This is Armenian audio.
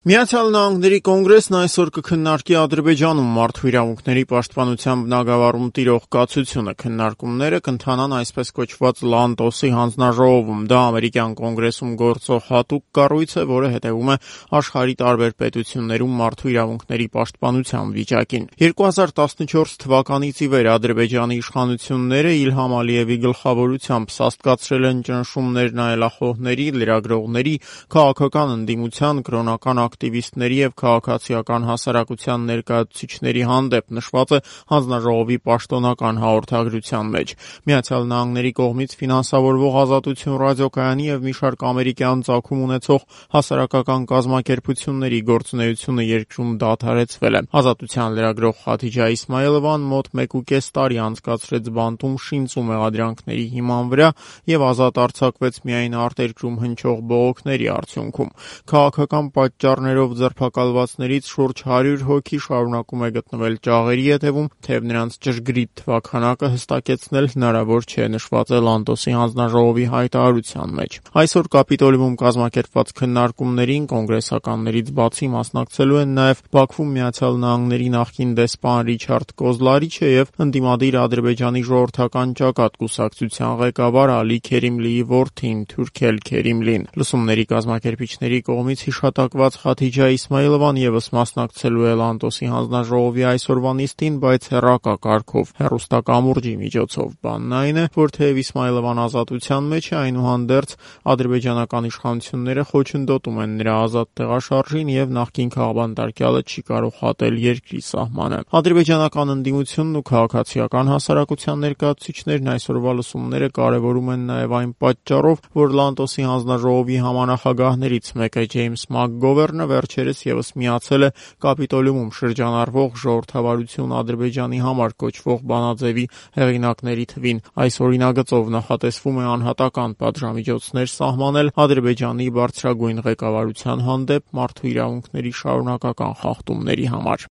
Միացյալ Նահանգների կոնգրեսն այսօր կքննարկի Ադրբեջանում մարդու իրավունքների պաշտպանության բնագավառում տիրող կացությունը։ Քննարկումները կընթանան այսպես կոչված Լանտոսի հանձնաժողովում։ Դա ամերիկյան կոնգրեսում գործող հատուկ կառույց է, որը հետևում է աշխարհի տարբեր պետություններում մարդու իրավունքների պաշտպանության վիճակին։ 2014 թվականից ի վեր Ադրբեջանի իշխանությունները Իլհամ Ալիևի գլխավորությամբ սաստկացրել են ճնշումներ նայելախոհների, լրագրողների, քաղաքական ընդդիմության, կրոնական ակտիվիստների եւ քաղաքացիական հասարակության ներկայացուցիչների հանդեպ, նշված է հանձնաժողովի պաշտոնական հաղորդագրության մեջ։ Միացյալ Նահանգների կողմից ֆինանսավորվող Ազատություն ռադիոկայանի եւ մի շարք ամերիկյան ծագում ունեցող հասարակական կազմակերպությունների գործունեությունը երկրում դադարեցվել է։ Ազատության լրագրող Խաթիջա Իսմայելովան մոտ 1.5 տարի անցկացրեց բանտում շինծու մեղադրանքների հիման վրա եւ ազատ արձակվեց միայն արտերկրում հնչող բողոքների արդյունքում։ Քաղաքական պատճառներով ձերբակալվածներից շուրջ 100 հոգի շարունակում է գտնվել ճաղերի հետևում, թեև նրանց ճշգրիտ թվաքանակը հստակեցնել հնարավոր չէ, նշված է Լանտոսի հանձնաժողովի հայտարարության մեջ։ Այսօր Կապիտոլիում կազմակերպված քննարկումներին կոնգրեսականներից բացի մասնակցելու են նաև Բաքվում Միացյալ Նահանգների նախկին դեսպան Ռիչարդ Կոզլարիչը եւ ընդդիմադիր Ադրբեջանի ժողովրդական ճակատ կուսակցության ղեկավար Ալի Քերիմլիի որդին Թուրքել Քերիմլին։ Լսումների կազմակերպիչների կողմից հիշատակված Խաթիջա Իսմայելովան եւս մասնակցելու է Լանտոսի հանձնաժողովի այսօրվա նիստին, բայց հեռակա կարգով, հեռուստակամուրջի միջոցով։ Բանն այն է, որ թեև Իսմայելովան ազատության մեջ է, այնուհանդերձ ադրբեջանական իշխանությունները խոչընդոտում են նրա ազատ տեղաշարժին եւ նախկին քաղբանտարկյալը չի կարող հատել երկրի սահմանը։ Ադրբեջանական ընդդիմությունն ու քաղաքացիական հասարակության ներկայացուցիչներն այսօրվա լսումները կարևորում են նաեւ այն պատճառով, որ Լանտոսի հանձնաժողովի համանախագահներից մեկը Ջեյմս Մակգովերնը վերջերս եւս միացել է Կապիտոլիում շրջանառվող ժողովրդավարություն Ադրբեջանի համար կոչվող բանաձևի հեղինակների թվին։ Այս օրինագծով նախատեսվում է անհատական պատժամիջոցներ սահմանել Ադրբեջանի բարձրագույն ղեկավարության հանդեպ մարդու իրավունքների շարունակական խախտումների համար։